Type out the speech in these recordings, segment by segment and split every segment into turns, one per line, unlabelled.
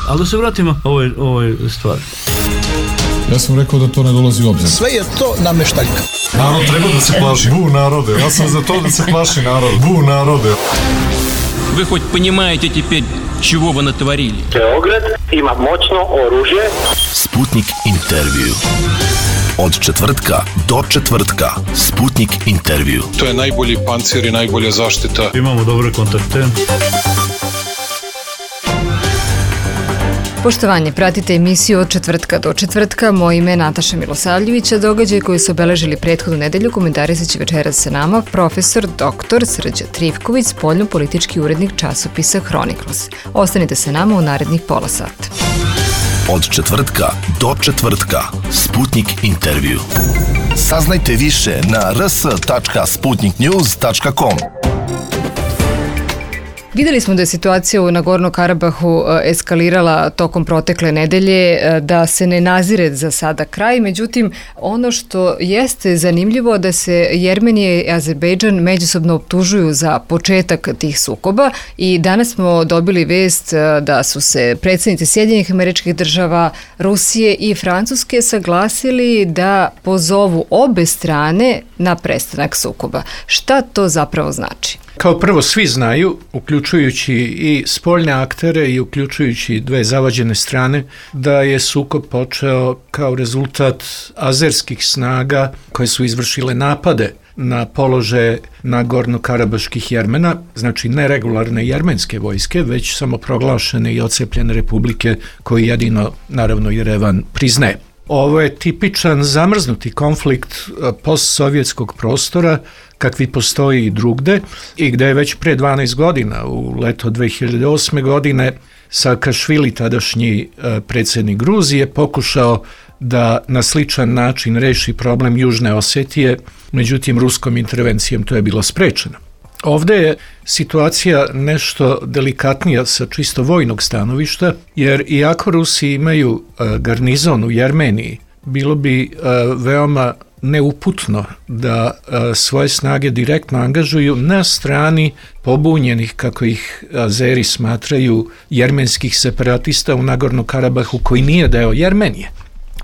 Ali da se vratimo ovoj stvari.
Ja sam rekao da to ne dolazi u obzir.
Sve je to nameštaljka.
Narod treba da se plaši. Bu narode. Ja sam za to da se plaši narod. Bu narode.
Вы хоть понимаете теперь, чего вы натворили?
Beograd ima moćno oružje.
Sputnik intervju. Od četvrtka do četvrtka. Sputnik intervju.
To je najbolji pancir i najbolja zaštita.
Imamo dobre kontakte.
Poštovanje, pratite emisiju Od četvrtka do četvrtka. Moje ime je Nataša Milosavljević, a događaje koji su obeležili prethodnu nedelju komentarisat će večeras sa nama profesor dr. Srđan Trifković, spoljno-politički urednik časopisa Chronicles. Ostanite sa nama u narednih pola sata.
Od četvrtka do četvrtka. Sputnik intervju. Saznajte više na rs.sputniknews.com.
Videli smo da je situacija u Nagorno Karabahu eskalirala tokom protekle nedelje, da se ne nazire za sada kraj, međutim ono što jeste zanimljivo da se Jermenija i Azerbejdžan međusobno optužuju za početak tih sukoba i danas smo dobili vest da su se predsjednici Sjedinjenih Američkih Država, Rusije i Francuske saglasili da pozovu obe strane na prestanak sukoba. Šta to zapravo znači?
Kao prvo, svi znaju, uključujući i spoljne aktere i uključujući dve zavađene strane, da je sukob počeo kao rezultat azerskih snaga koje su izvršile napade na položaje Nagorno-Karabaških Jermena, znači ne regularne jermenske vojske, već samoproglašene i odcepljene republike koje jedino, naravno, Jerevan priznaje. Ovo je tipičan zamrznuti konflikt postsovjetskog prostora, kakvi postoji i drugde, i gde je već pre 12 godina, u leto 2008. godine, Saakašvili, tadašnji predsjednik Gruzije, pokušao da na sličan način reši problem Južne Osetije, međutim ruskom intervencijom to je bilo sprečeno. Ovdje je situacija nešto delikatnija sa čisto vojnog stanovišta, jer iako Rusi imaju garnizon u Jermeniji, bilo bi veoma neuputno da svoje snage direktno angažuju na strani pobunjenih, kako ih Azeri smatraju, jermenskih separatista u Nagorno Karabahu, koji nije deo Jermenije.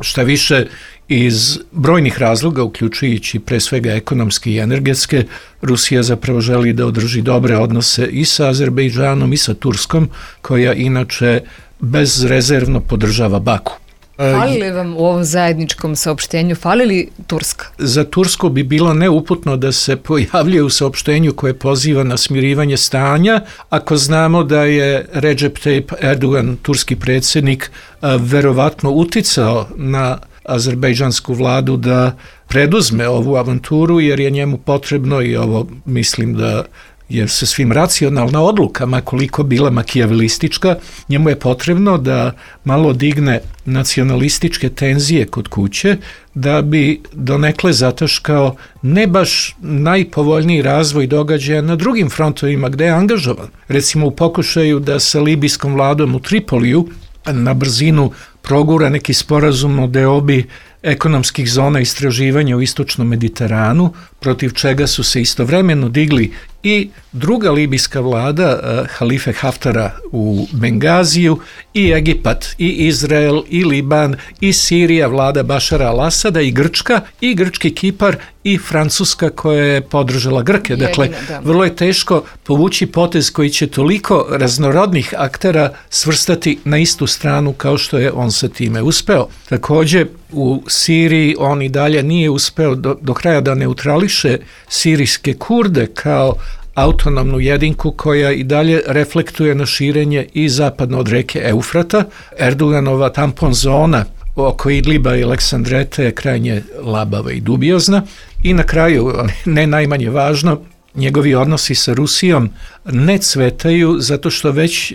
Šta više, iz brojnih razloga, uključujući pre svega ekonomske i energetske, Rusija zapravo želi da održi dobre odnose i sa Azerbejdžanom i sa Turskom, koja inače bezrezervno podržava Baku.
Fali li vam u ovom zajedničkom saopštenju, fali li Turska?
Za Tursku bi bilo neuputno da se pojavljuje u saopštenju koje poziva na smirivanje stanja, ako znamo da je Recep Tayyip Erdogan, turski predsjednik, verovatno uticao na azerbejdžansku vladu da preduzme ovu avanturu, jer je njemu potrebno, i ovo mislim da je sa svim racionalna odluka, makoliko bila makijavelistička, njemu je potrebno da malo digne nacionalističke tenzije kod kuće, da bi donekle zataškao ne baš najpovoljniji razvoj događaja na drugim frontovima gde je angažovan. Recimo u pokušaju da sa libijskom vladom u Tripoliju na brzinu progura neki sporazum o deobi ekonomskih zona istraživanja u istočnom Mediteranu, protiv čega su se istovremeno digli i druga libijska vlada Halife Haftara u Bengaziju, i Egipat, i Izrael, i Liban, i Sirija, vlada Bašara al-Asada, i Grčka, i grčki Kipar, i Francuska koja je podržala Grke. Dakle, vrlo je teško povući potez koji će toliko raznorodnih aktera svrstati na istu stranu kao što je on sa time uspeo. Također, u Siriji on i dalje nije uspeo do kraja da neutrališe sirijske Kurde kao autonomnu jedinku koja i dalje reflektuje na širenje i zapadno od reke Eufrata. Erdoganova tampon zona oko Idliba i Aleksandrete je krajnje labava i dubiozna. I na kraju, ne najmanje važno, njegovi odnosi sa Rusijom ne cvetaju zato što već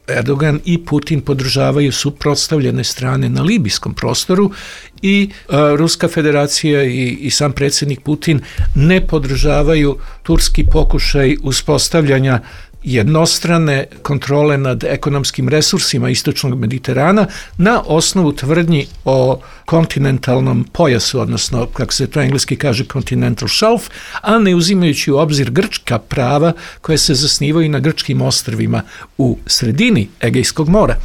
Erdogan i Putin podržavaju suprotstavljene strane na libijskom prostoru i Ruska federacija i sam predsjednik Putin ne podržavaju turski pokušaj uspostavljanja jednostrane kontrole nad ekonomskim resursima istočnog Mediterana na osnovu tvrdnji o kontinentalnom pojasu, odnosno, kako se to engleski kaže, continental shelf, a ne uzimajući u obzir grčka prava koje se zasnivaju na grčkim ostrvima u sredini Egejskog mora.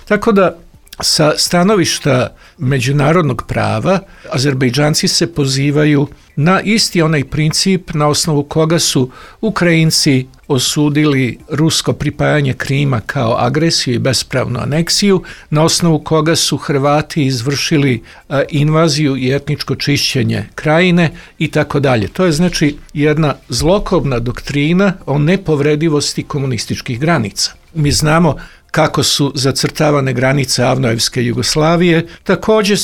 Tako da, sa stanovišta međunarodnog prava, Azerbejdžanci se pozivaju na isti onaj princip na osnovu koga su Ukrajinci osudili rusko pripajanje Krima kao agresiju i bespravnu aneksiju, na osnovu koga su Hrvati izvršili invaziju i etničko čišćenje krajine i tako dalje. To je znači jedna zlokobna doktrina o nepovredivosti komunističkih granica. Mi znamo kako su zacrtavane granice Avnojevske Jugoslavije. Također,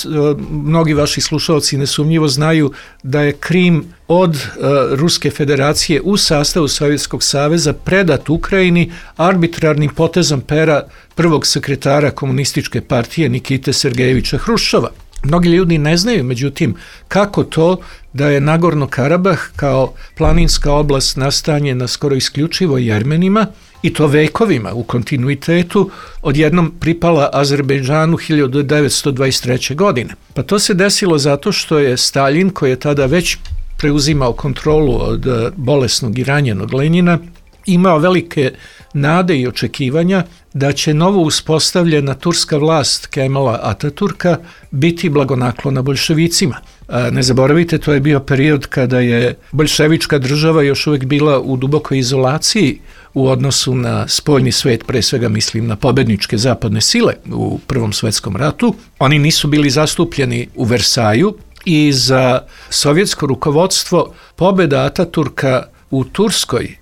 mnogi vaši slušalci nesumnjivo znaju da je Krim od Ruske federacije u sastavu Sovjetskog saveza predat Ukrajini arbitrarnim potezom pera prvog sekretara komunističke partije Nikite Sergejevića Hruščova. Mnogi ljudi ne znaju, međutim, kako to da je Nagorno Karabah kao planinska oblast nastanjena skoro isključivo Jermenima, i to vekovima u kontinuitetu, odjednom pripala Azerbejdžanu 1923. godine. Pa to se desilo zato što je Staljin, koji je tada već preuzimao kontrolu od bolesnog i ranjenog Lenjina, imao velike nade i očekivanja da će novo uspostavljena turska vlast Kemala Ataturka biti blagonaklona boljševicima. Ne zaboravite, to je bio period kada je boljševička država još uvijek bila u dubokoj izolaciji u odnosu na spoljni svet, pre svega mislim na pobedničke zapadne sile u Prvom svjetskom ratu. Oni nisu bili zastupljeni u Versaju i za sovjetsko rukovodstvo pobjeda Ataturka u Turskoj,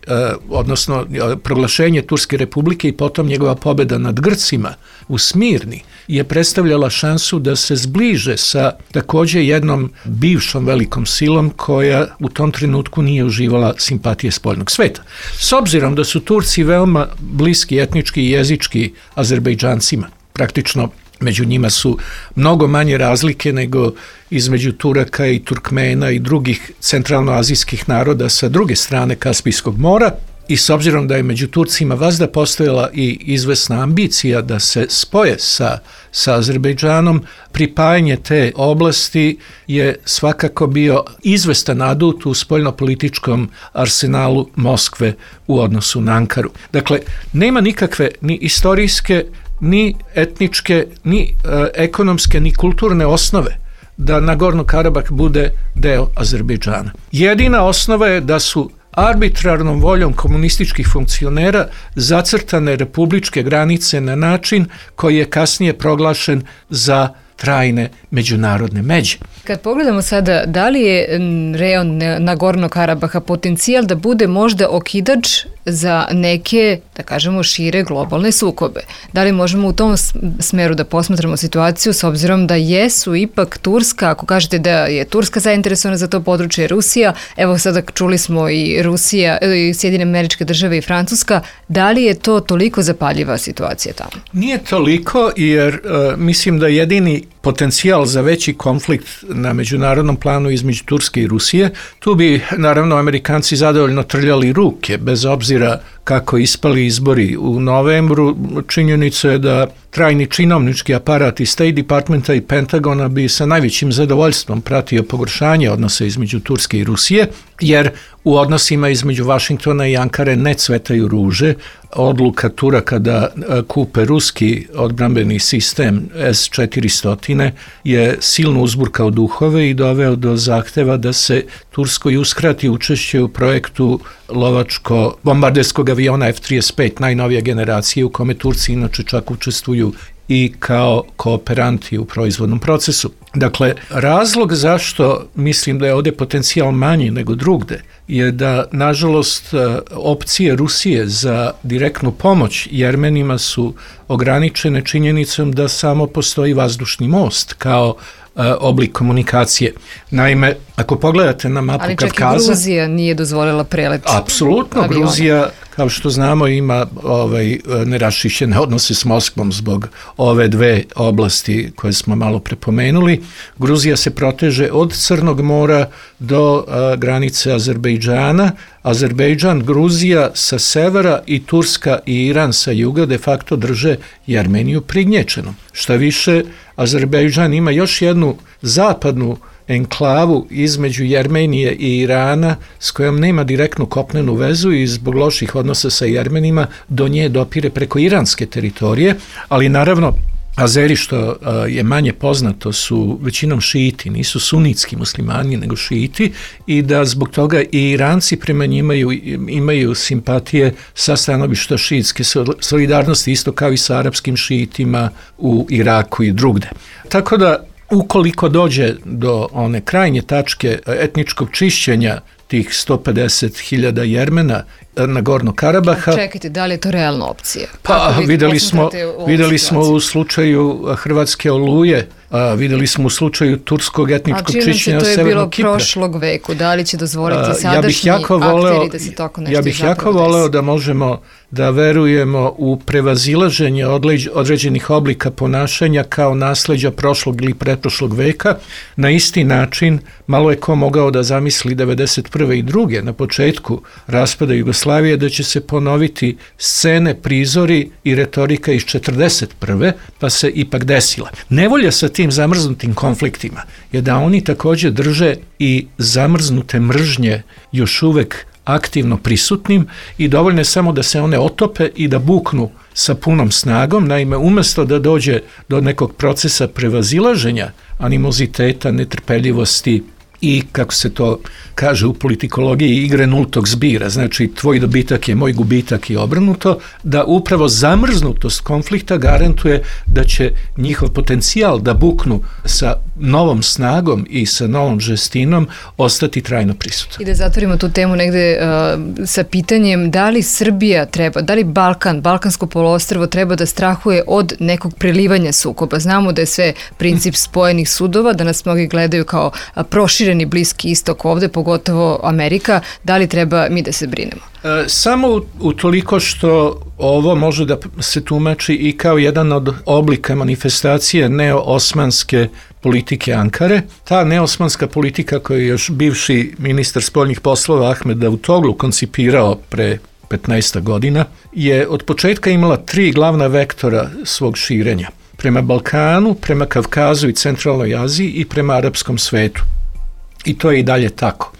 odnosno proglašenje Turske republike i potom njegova pobjeda nad Grcima u Smirni, je predstavljala šansu da se zbliže sa također jednom bivšom velikom silom koja u tom trenutku nije uživala simpatije spoljnog sveta. S obzirom da su Turci veoma bliski etnički i jezički Azerbejdžancima, praktično među njima su mnogo manje razlike nego između Turaka i Turkmena i drugih centralnoazijskih naroda sa druge strane Kaspijskog mora, i s obzirom da je među Turcima vazda postojala i izvesna ambicija da se spoje sa Azerbejdžanom, pripajanje te oblasti je svakako bio izvestan adut u spoljnopolitičkom arsenalu Moskve u odnosu na Ankaru. Dakle, nema nikakve ni istorijske, ni etničke, ni ekonomske, ni kulturne osnove da Nagorno Karabah bude deo Azerbejdžana. Jedina osnova je da su arbitrarnom voljom komunističkih funkcionera zacrtane republičke granice na način koji je kasnije proglašen za trajne međunarodne međe.
Kad pogledamo sada, da li je rejon Nagorno Karabaha potencijal da bude možda okidač za neke, da kažemo, šire globalne sukobe? Da li možemo u tom smeru da posmatramo situaciju s obzirom da jesu ipak Turska, ako kažete da je Turska zainteresovana za to područje, Rusija, evo sada čuli smo i Rusija, i Sjedinjene Američke Države i Francuska, da li je to toliko zapaljiva situacija tamo?
Nije toliko, jer mislim da jedini potencijal za veći konflikt na međunarodnom planu između Turske i Rusije, tu bi naravno Amerikanci zadovoljno trljali ruke, bez obzira kako ispali izbori u novembru. Činjenica je da trajni činovnički aparat iz State Departmenta i Pentagona bi sa najvećim zadovoljstvom pratio pogoršanje odnosa između Turske i Rusije, jer u odnosima između Vašingtona i Ankare ne cvetaju ruže. Odluka Turaka da kupe ruski odbrambeni sistem S-400 je silno uzburkao duhove i doveo do zahteva da se Turskoj uskrati učešće u projektu lovačko-bombarderskog aviona F-35 najnovije generacije, u kome Turci inače čak učestvuju i kao kooperanti u proizvodnom procesu. Dakle, razlog zašto mislim da je ovdje potencijal manji nego drugde je da, nažalost, opcije Rusije za direktnu pomoć Jermenima su ograničene činjenicom da samo postoji vazdušni most kao oblik komunikacije. Naime, ako pogledate na mapu Kavkaza...
Ali čak i Gruzija nije dozvolila prelet.
Apsolutno,
aviona.
Gruzija kao što znamo, ima neraščišćene odnose s Moskvom zbog ove dve oblasti koje smo malo prepomenuli. Gruzija se proteže od Crnog mora do granice Azerbejdžana. Azerbejdžan, Gruzija sa severa i Turska i Iran sa juga de facto drže Jermeniju prignječenom. Šta više, Azerbejdžan ima još jednu zapadnu enklavu između Jermenije i Irana s kojom nema direktnu kopnenu vezu i zbog loših odnosa sa Jermenima do nje dopire preko iranske teritorije, ali naravno Azeri, što je manje poznato, su većinom šiiti, nisu sunitski muslimani, nego šiiti, i da zbog toga i Iranci prema njima imaju simpatije sa stanovišta šiitske solidarnosti, isto kao i sa arapskim šiitima u Iraku i drugde. Tako da, ukoliko dođe do one krajnje tačke etničkog čišćenja tih 150.000 Jermena na Gorno Karabaha.
Čekajte, da li je to realna opcija?
Pa videli smo u slučaju Hrvatske Oluje, videli smo u slučaju turskog etničkog čišćenja Severnog Kipra.
To je bilo prošlog veku, da li će dozvoliti sadašnji akteri da se tako nešto
Ja bih jako voleo da možemo da verujemo u prevazilaženje određenih oblika ponašanja kao nasleđa prošlog ili pretprošlog veka. Na isti način malo je ko mogao da zamisli 1991. i 1992. na početku raspada Jugoslavije da će se ponoviti scene, prizori i retorika iz 1941. pa se ipak desila. Nevolja sa tim zamrznutim konfliktima je da oni također drže i zamrznute mržnje još uvek aktivno prisutnim i dovoljno je samo da se one otope i da buknu sa punom snagom. Naime, umjesto da dođe do nekog procesa prevazilaženja animoziteta, netrpeljivosti i, kako se to kaže u politikologiji, igre nultog zbira, znači tvoj dobitak je moj gubitak i obrnuto, da upravo zamrznutost konflikta garantuje da će njihov potencijal da buknu sa novom snagom i sa novom žestinom ostati trajno prisutan.
I da zatvorimo tu temu negde sa pitanjem da li Srbija treba, da li Balkansko poluostrvo treba da strahuje od nekog prelivanja sukoba. Znamo da je sve princip spojenih sudova, da nas mnogi gledaju kao prošireni Bliski istok ovde, pogotovo Amerika. Da li treba mi da se brinemo?
Samo utoliko što ovo može da se tumači i kao jedan od oblika manifestacije neo-osmanske politike Ankare. Ta neosmanska politika koju je još bivši ministar spoljnih poslova Ahmed Davutoglu koncipirao pre 15 godina je od početka imala 3 glavna vektora svog širenja. Prema Balkanu, prema Kavkazu i Centralnoj Aziji i prema arapskom svetu. I to je i dalje tako.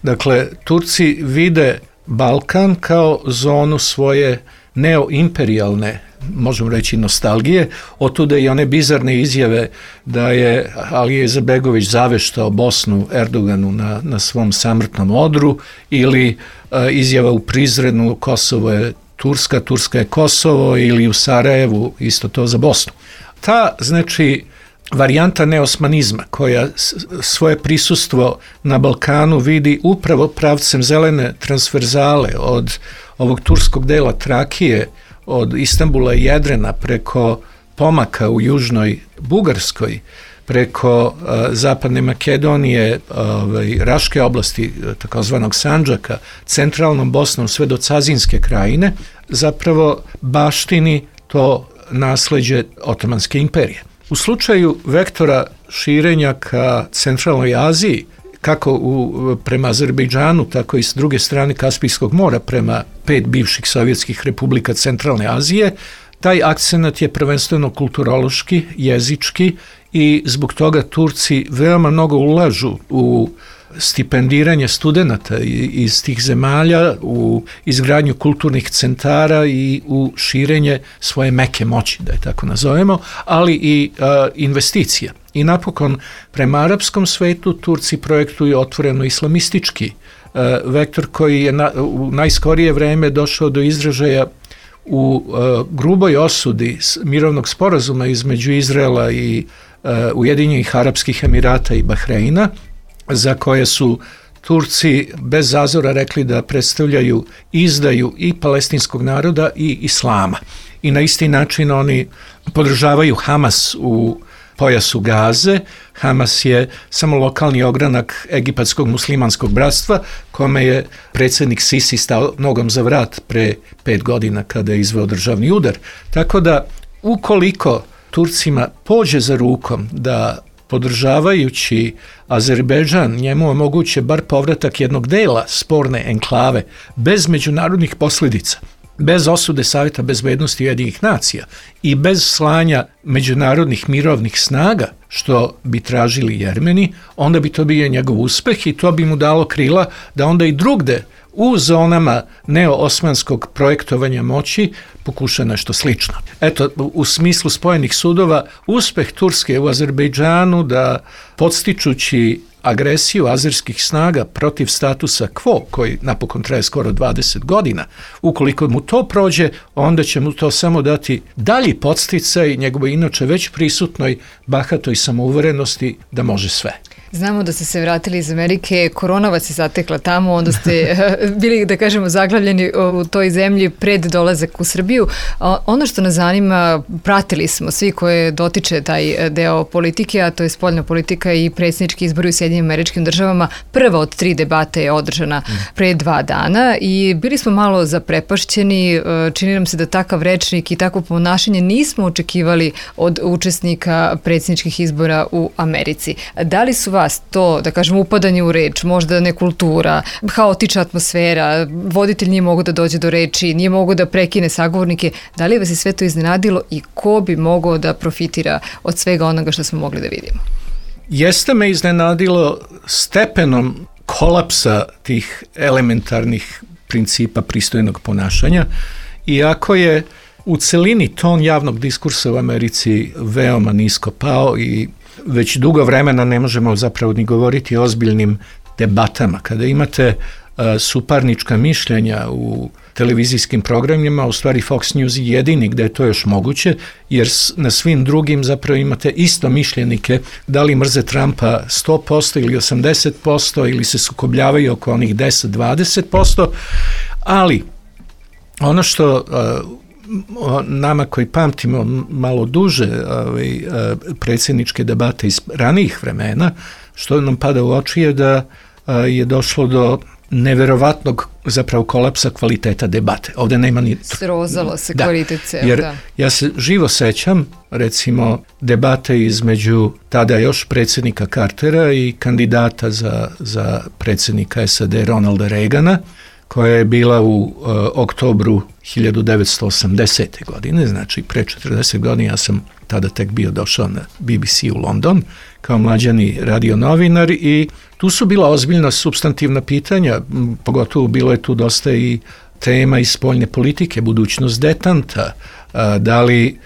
Dakle, Turci vide Balkan kao zonu svoje neoimperijalne, možemo reći, nostalgije. Otuda i one bizarne izjave da je Alija Izetbegović zaveštao Bosnu Erdoganu na svom samrtnom odru, ili izjava u Prizrenu Kosovo je Turska, Turska je Kosovo, ili u Sarajevu isto to za Bosnu. Ta, znači, varijanta neosmanizma koja svoje prisustvo na Balkanu vidi upravo pravcem zelene transverzale od ovog turskog dela Trakije, od Istanbula i Jedrena preko pomaka u južnoj Bugarskoj, preko zapadne Makedonije, Raške oblasti, takozvanog Sandžaka, centralnom Bosnom sve do Cazinske krajine, zapravo baštini to nasleđe Otomanske imperije. U slučaju vektora širenja ka Centralnoj Aziji, kako prema Azerbejdžanu, tako i s druge strane Kaspijskog mora prema 5 bivših sovjetskih republika Centralne Azije, taj akcenat je prvenstveno kulturološki, jezički i zbog toga Turci veoma mnogo ulažu u stipendiranje studenata iz tih zemalja, u izgradnju kulturnih centara i u širenje svoje meke moći, da je tako nazovemo, ali i investicija. I napokon, prema arapskom svetu Turci projektuju otvoreno islamistički vektor koji je u najskorije vreme došao do izražaja u gruboj osudi mirovnog sporazuma između Izraela i Ujedinjenih Arapskih Emirata i Bahreina, za koje su Turci bez zazora rekli da predstavljaju izdaju i palestinskog naroda i islama. I na isti način oni podržavaju Hamas u pojasu Gaze. Hamas je samo lokalni ogranak egipatskog muslimanskog bratstva, kome je predsjednik Sisi stao nogom za vrat pre 5 godina kada je izveo državni udar. Tako da, ukoliko Turcima pođe za rukom da podržavajući Azerbejdžan njemu omoguće bar povratak jednog dela sporne enklave bez međunarodnih posljedica, bez osude Savjeta bezbednosti Ujedinjenih nacija i bez slanja međunarodnih mirovnih snaga, što bi tražili Jermeni, onda bi to bio njegov uspeh i to bi mu dalo krila da onda i drugde u zonama neo-osmanskog projektovanja moći pokuša nešto slično. Eto, u smislu spojenih sudova, uspeh Turske u Azerbejdžanu da podstičući agresiju azerskih snaga protiv statusa quo, koji napokon traje skoro 20 godina, ukoliko mu to prođe, onda će mu to samo dati dalji podsticaj njegovoj inače već prisutnoj bahatoj samouverenosti da može sve.
Znamo da ste se vratili iz Amerike, korona vas je zatekla tamo, onda ste bili, da kažemo, zaglavljeni u toj zemlji pred dolazak u Srbiju. Ono što nas zanima, pratili smo svi koje dotiče taj deo politike, a to je spoljna politika i predsjednički izbori u Sjedinjenim Američkim Državama. Prva od 3 debate je održana pre 2 dana i bili smo malo zaprepašćeni. Čini nam se da takav rečnik i takvo ponašanje nismo očekivali od učesnika predsjedničkih izbora u Americi. Da li su vas to, da kažem, upadanje u reč, možda nekultura, haotična atmosfera, voditelj nije mogo da dođe do reči, nije mogo da prekine sagovornike, da li vas je sve to iznenadilo i ko bi mogao da profitira od svega onoga što smo mogli da vidimo?
Jeste me iznenadilo stepenom kolapsa tih elementarnih principa pristojnog ponašanja, iako je u celini ton javnog diskursa u Americi veoma nisko pao i već dugo vremena ne možemo zapravo ni govoriti o ozbiljnim debatama. Kada imate suparnička mišljenja u televizijskim programima, u stvari Fox News je jedini gde je to još moguće, jer na svim drugim zapravo imate isto mišljenike, da li mrze Trumpa 100% ili 80% ili se sukobljavaju oko onih 10-20%, ali ono što nama koji pamtimo malo duže predsjedničke debate iz ranijih vremena, što nam pada u oči je da je došlo do neverovatnog zapravo kolapsa kvaliteta debate. Ovdje nema ni...
Srozalo se kvalitet ceo,
jer ja se živo sećam, recimo, debate između tada još predsjednika Cartera i kandidata za predsjednika SAD Ronalda Reagana, koja je bila u oktobru 1980. godine, znači pre 40 godina. Ja sam tada tek bio došao na BBC u London kao mlađani radionovinar i tu su bila ozbiljna supstantivna pitanja, pogotovo bilo je tu dosta i tema iz spoljne politike, budućnost detanta, da li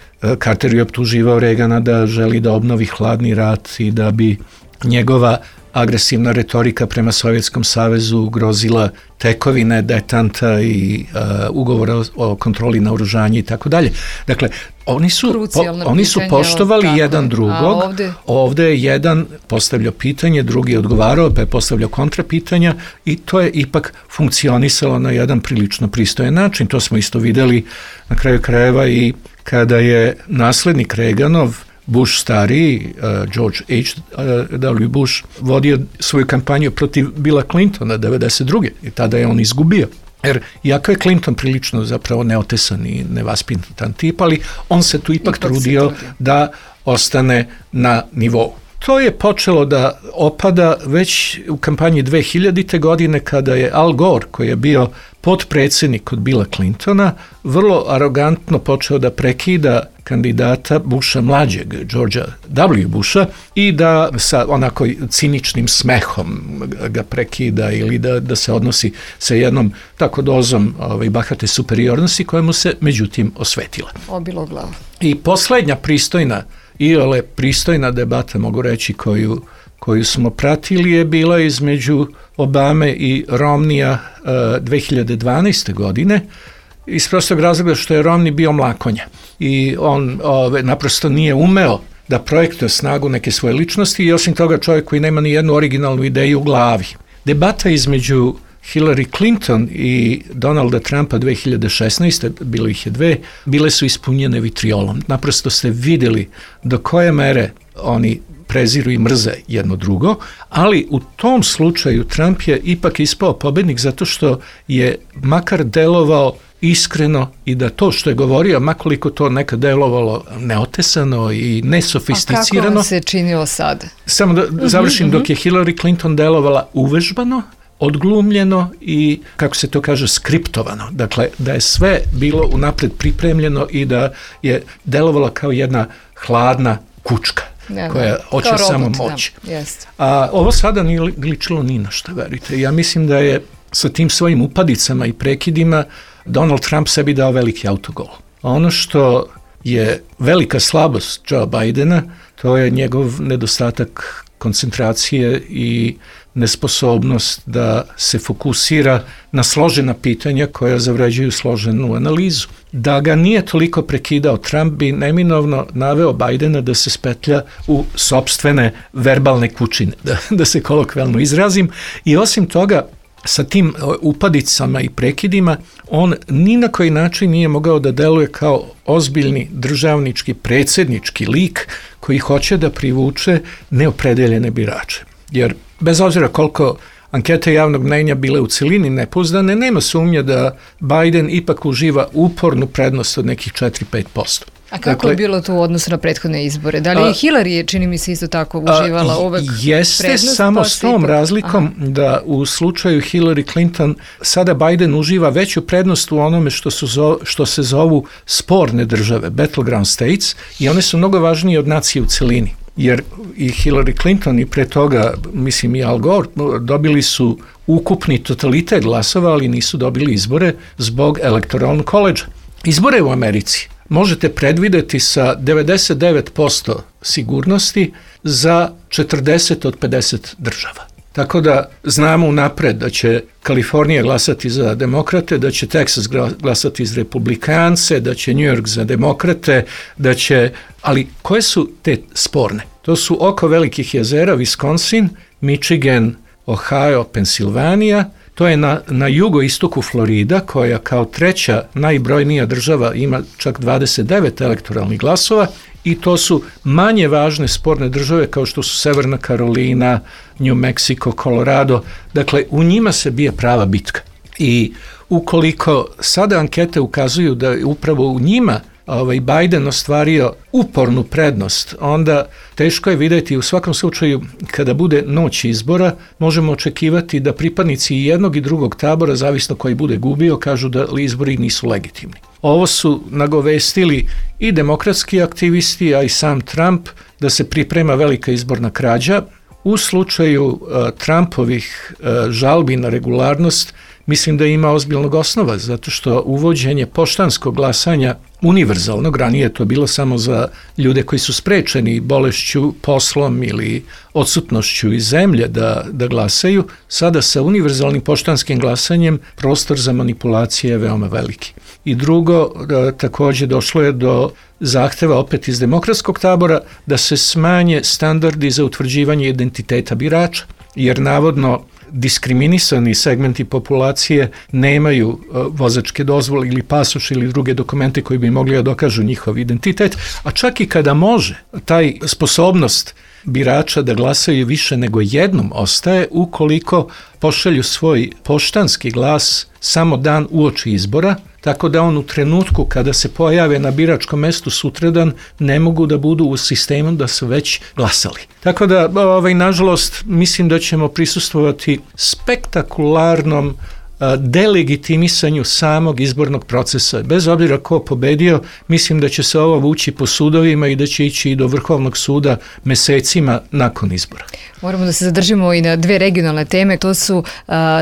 Carter je optuživao Reagana da želi da obnovi hladni rat i da bi njegova agresivna retorika prema Sovjetskom savezu ugrozila tekovine detanta i ugovora o kontroli naoružanja i tako dalje. Dakle, oni su poštovali jedan drugog, ovdje je jedan postavljao pitanje, drugi je odgovarao, pa je postavljao kontrapitanja i to je ipak funkcionisalo na jedan prilično pristojan način. To smo isto vidjeli na kraju krajeva i kada je naslednik Reaganov, Bush stariji, George H.W. Bush, vodio svoju kampanju protiv Billa Clintona 1992. i tada je on izgubio. Jer iako je Clinton prilično zapravo neotesan i nevaspitan tip, ali on se tu ipak trudio da ostane na nivou. To je počelo da opada već u kampanji 2000. godine kada je Al Gore, koji je bio potpredsjednik kod Billa Clintona, vrlo arogantno počeo da prekida kandidata Busha mlađeg, Georgea W. Busha, i da sa onako ciničnim smehom ga prekida ili da se odnosi sa jednom tako dozom bahate superiornosti koja mu se međutim osvetila.
Obilo glavu.
I posljednja pristojna debata, mogu reći, koju smo pratili je bila između Obame i Romneya 2012. godine, iz prostog razloga što je Romney bio mlakonja i on naprosto nije umeo da projektuje snagu neke svoje ličnosti i osim toga čovjek koji nema ni jednu originalnu ideju u glavi. Debata između Hillary Clinton i Donalda Trumpa 2016. bilo ih je dve, bile su ispunjene vitriolom. Naprosto ste vidjeli do koje mere oni preziru i mrze jedno drugo, ali u tom slučaju Trump je ipak ispao pobednik zato što je makar delovao iskreno i da to što je govorio, makoliko to nekad delovalo neotesano i nesofisticirano.
A kako vam se činilo sad?
Samo da završim, dok je Hillary Clinton delovala uvežbano, odglumljeno i, kako se to kaže, skriptovano. Dakle, da je sve bilo unapred pripremljeno i da je delovala kao jedna hladna kučka koja hoće samo moć. A ovo sada nije ličilo ni na šta, verujte. Ja mislim da je sa tim svojim upadicama i prekidima Donald Trump sebi dao veliki autogol. A ono što je velika slabost Joe Bidena, to je njegov nedostatak koncentracije i nesposobnost da se fokusira na složena pitanja koja zavređuju složenu analizu. Da ga nije toliko prekidao Trump, bi neminovno naveo Bidena da se spetlja u sopstvene verbalne kućine, da se kolokvijalno izrazim. I osim toga, sa tim upadicama i prekidima, on ni na koji način nije mogao da deluje kao ozbiljni državnički, predsjednički lik koji hoće da privuče neopredeljene birače. Jer bez obzira koliko ankete javnog mnenja bile u celini nepouzdane, nema sumnje da Biden ipak uživa upornu prednost od nekih 4-5%.
A kako je bilo to u odnosu na prethodne izbore? Da li je Hillary, čini mi se, isto tako uživala uvek prednost?
Jeste, samo s tom razlikom da u slučaju Hillary Clinton sada Biden uživa veću prednost u onome što se zovu sporne države, battleground states, i one su mnogo važnije od nacije u celini. Jer i Hillary Clinton i pre toga, mislim i Al Gore, dobili su ukupni totalitet glasova, ali nisu dobili izbore zbog Electoral College. Izbore u Americi možete predvideti sa 99% sigurnosti za 40 od 50 država. Tako da znamo unapred da će Kalifornija glasati za demokrate, da će Texas glasati za republikance, da će New York za demokrate, ali koje su te sporne? To su oko velikih jezera Wisconsin, Michigan, Ohio, Pensilvanija. To je na jugoistoku Florida, koja kao treća najbrojnija država ima čak 29 elektoralnih glasova, i to su manje važne sporne države kao što su Severna Karolina, New Mexico, Colorado. Dakle, u njima se bije prava bitka. I ukoliko sada ankete ukazuju da je upravo u njima Biden ostvario upornu prednost, onda teško je vidjeti, u svakom slučaju kada bude noć izbora, možemo očekivati da pripadnici jednog i drugog tabora, zavisno koji bude gubio, kažu da izbori nisu legitimni. Ovo su nagovestili i demokratski aktivisti, a i sam Trump, da se priprema velika izborna krađa. U slučaju Trumpovih žalbi na regularnost, mislim da ima ozbiljnog osnova, zato što uvođenje poštanskog glasanja univerzalnog, ranije je to bilo samo za ljude koji su sprečeni bolešću, poslom ili odsutnošću iz zemlje da glasaju, sada sa univerzalnim poštanskim glasanjem prostor za manipulacije je veoma veliki. I drugo, također došlo je do zahteva opet iz demokratskog tabora da se smanje standardi za utvrđivanje identiteta birača, jer navodno diskriminisani segmenti populacije nemaju vozačke dozvole ili pasoš ili druge dokumente koji bi mogli da dokažu njihov identitet, a čak i kada može, taj sposobnost birača da glasaju više nego jednom ostaje ukoliko pošalju svoj poštanski glas samo dan uoči izbora, tako da on u trenutku kada se pojave na biračkom mestu sutradan ne mogu da budu u sistemu da su već glasali. Tako da, nažalost, mislim da ćemo prisustvovati spektakularnom delegitimisanju samog izbornog procesa. Bez obzira ko pobedio, mislim da će se ovo vući po sudovima i da će ići i do Vrhovnog suda mesecima nakon izbora.
Moramo da se zadržimo i na dve regionalne teme. To su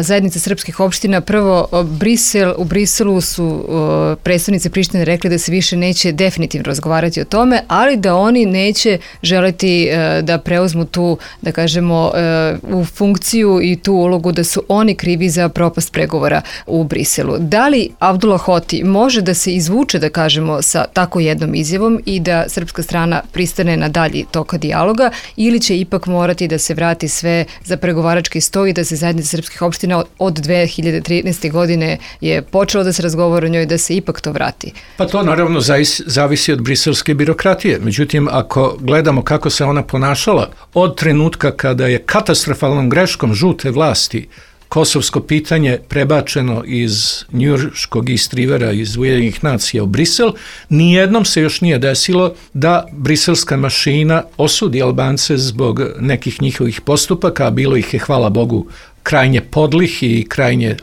zajednice srpskih opština. Prvo, u Briselu su predstavnici Prištine rekli da se više neće definitivno razgovarati o tome, ali da oni neće želeti da preuzmu tu, da kažemo, u funkciju i tu ulogu da su oni krivi za propast pregovora pregovora u Briselu. Da li Abdullah Hoti može da se izvuče, da kažemo, sa tako jednom izjavom i da srpska strana pristane na dalji toka dijaloga, ili će ipak morati da se vrati sve za pregovarački sto i da se zajednica srpskih opština od 2013. godine je počelo da se razgovara o njoj, da se ipak to vrati?
Pa to naravno zavisi od briselske birokratije. Međutim, ako gledamo kako se ona ponašala od trenutka kada je katastrofalnom greškom žute vlasti kosovsko pitanje prebačeno iz njujorškog istrivera iz Ujedinjenih nacija u Brisel, nijednom se još nije desilo da briselska mašina osudi Albance zbog nekih njihovih postupaka, a bilo ih je, hvala Bogu, krajnje podlih i krajnje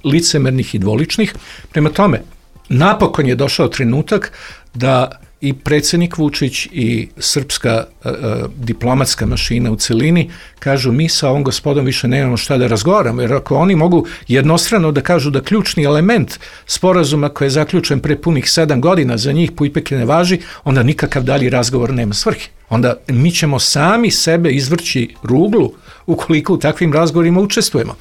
licemernih i dvoličnih. Prema tome, napokon je došao trenutak da i predsjednik Vučić i srpska diplomatska mašina u celini kažu mi sa ovom gospodom više nemamo šta da razgovaramo, jer ako oni mogu jednostrano da kažu da ključni element sporazuma koji je zaključen pre punih 7 godina za njih pojpeke ne važi, onda nikakav dalji razgovor nema svrhe. Onda mi ćemo sami sebe izvrći ruglu ukoliko u takvim razgovorima učestvujemo.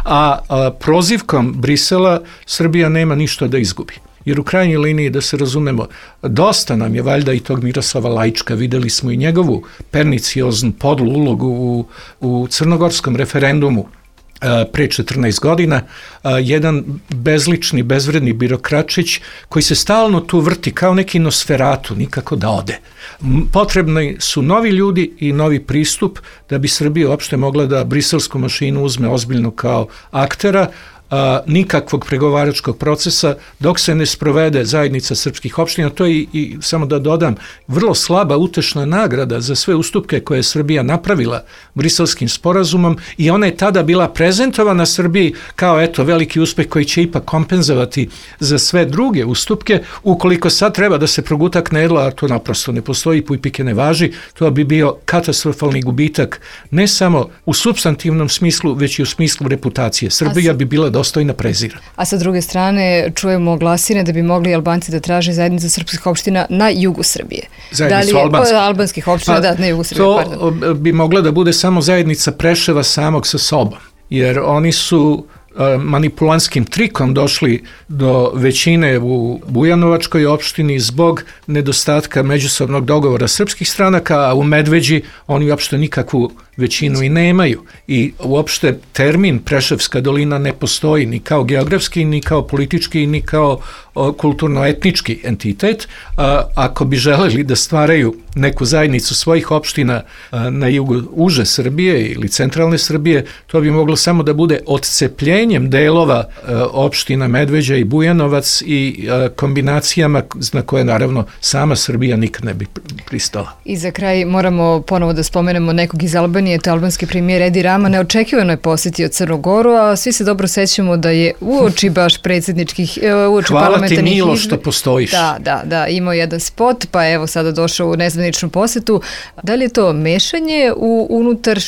A prozivkom Brisela Srbija nema ništa da izgubi. Jer u krajnjoj liniji, da se razumemo, dosta nam je valjda i tog Miroslava Lajčka, videli smo i njegovu pernicioznu podlu ulogu u crnogorskom referendumu pre 14 godina, jedan bezlični, bezvredni birokračić koji se stalno tu vrti kao neki Nosferatu, nikako da ode. Potrebni su novi ljudi i novi pristup da bi Srbija uopšte mogla da briselsku mašinu uzme ozbiljno kao aktera, nikakvog pregovaračkog procesa dok se ne sprovede zajednica srpskih opština. To je i samo da dodam, vrlo slaba utešna nagrada za sve ustupke koje je Srbija napravila briselskim sporazumom i ona je tada bila prezentovana Srbiji kao eto veliki uspeh koji će ipak kompenzovati za sve druge ustupke. Ukoliko sad treba da se proguta knedla, a to naprosto ne postoji, pujpike ne važi, to bi bio katastrofalni gubitak ne samo u supstantivnom smislu, već i u smislu reputacije. Srbija bi bila dostojna prezira.
A sa druge strane čujemo glasine da bi mogli Albanci da traže zajednicu srpskih opština na jugu Srbije.
Zajednicu
albanskih opština, da, na jugu Srbije.
To bi mogla da bude samo zajednica Preševa samog sa sobom, jer oni su manipulanskim trikom došli do većine u Bujanovačkoj opštini zbog nedostatka međusobnog dogovora srpskih stranaka, a u Medveđi oni uopšte nikakvu većinu i nemaju. I uopšte termin Preševska dolina ne postoji ni kao geografski, ni kao politički, ni kao kulturno-etnički entitet. Ako bi želeli da stvaraju neku zajednicu svojih opština na jugu uže Srbije ili centralne Srbije, to bi moglo samo da bude odcepljenjem delova opština Medveđa i Bujanovac i kombinacijama na koje naravno sama Srbija nikad ne bi pristala.
I za kraj moramo ponovo da spomenemo nekog iz Albanije, to je albanski premijer Edi Rama, neočekivano je posjetio Crnu Goru, a svi se dobro sećamo da je uoči baš predsjedničkih, uoči parlamentarnih izbora.
Hvala ti Milo što postojiš.
Da, imao jedan spot, pa evo sada došao u nezvaničnu posjetu. Da li je to mešanje u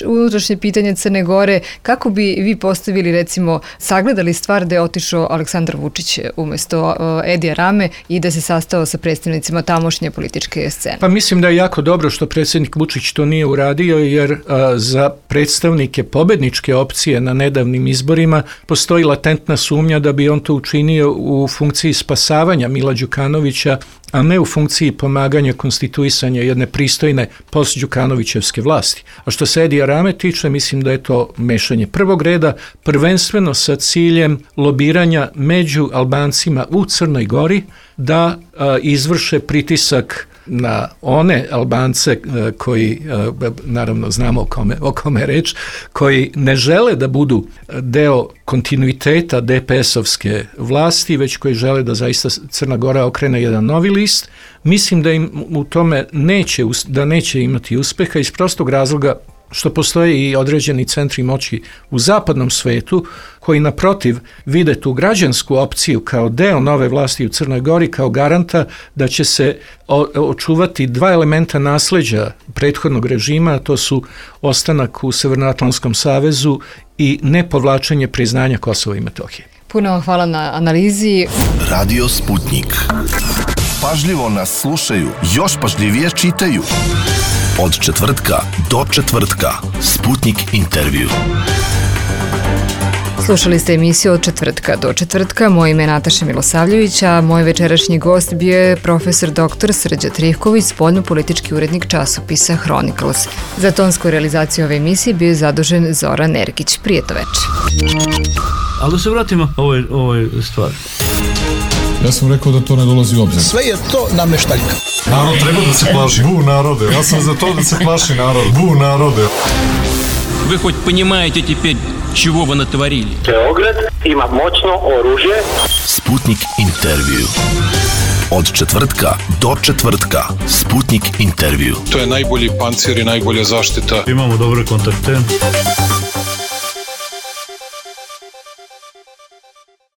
unutrašnje pitanje Crne Gore? Kako bi vi postavili, recimo, sagledali stvar da je otišao Aleksandar Vučić umjesto Edija Rame i da se sastao sa predstavnicima tamošnje političke scene?
Pa mislim da je jako dobro što predsjednik Vučić to nije uradio, jer za predstavnike pobedničke opcije na nedavnim izborima postoji latentna sumnja da bi on to učinio u funkciji spasavanja Mila Đukanovića, a ne u funkciji pomaganja konstituisanja jedne pristojne post-Đukanovićevske vlasti. A što se Edija Rame tiče, mislim da je to mešanje prvog reda, prvenstveno sa ciljem lobiranja među Albancima u Crnoj Gori da izvrše pritisak na one Albance koji, naravno znamo o kome je reč, koji ne žele da budu deo kontinuiteta DPS-ovske vlasti, već koji žele da zaista Crna Gora okrene jedan novi list. Mislim da im u tome neće imati uspeha iz prostog razloga što postoje i određeni centri moći u zapadnom svetu koji naprotiv vide tu građansku opciju kao deo nove vlasti u Crnoj Gori, kao garanta da će se očuvati dva elementa nasleđa prethodnog režima, a to su ostanak u Severnoatlantskom savezu i nepovlačenje priznanja Kosova i Metohije.
Puno vam hvala na analizi.
Radio Sputnik. Pažljivo nas slušaju, još pažljivije čitaju. Od četvrtka do četvrtka. Sputnik intervju.
Slušali ste emisiju od četvrtka do četvrtka. Moje ime je Nataša Milosavljević, a moj večerašnji gost bio je profesor dr. Srđan Trivković, spoljno-politički urednik časopisa Chronicles. Za tonsku realizaciju ove emisije bio je zadužen Zoran Ergić. Prijetno večer.
Ali da se vratimo ovoj stvari.
Ja sam rekao da to ne dolazi u obzir.
Sve je to nameštaljka.
Narod treba da se plaši. Bu narode. Ja sam za to da se plaši narod. Bu narode.
Вы хоть понимаете теперь, чего вы натворили?
Beograd ima moćno oružje.
Sputnik intervju. Od četvrtka do četvrtka. Sputnik intervju.
To je najbolji pancir i najbolja zaštita.
Imamo dobre kontakte.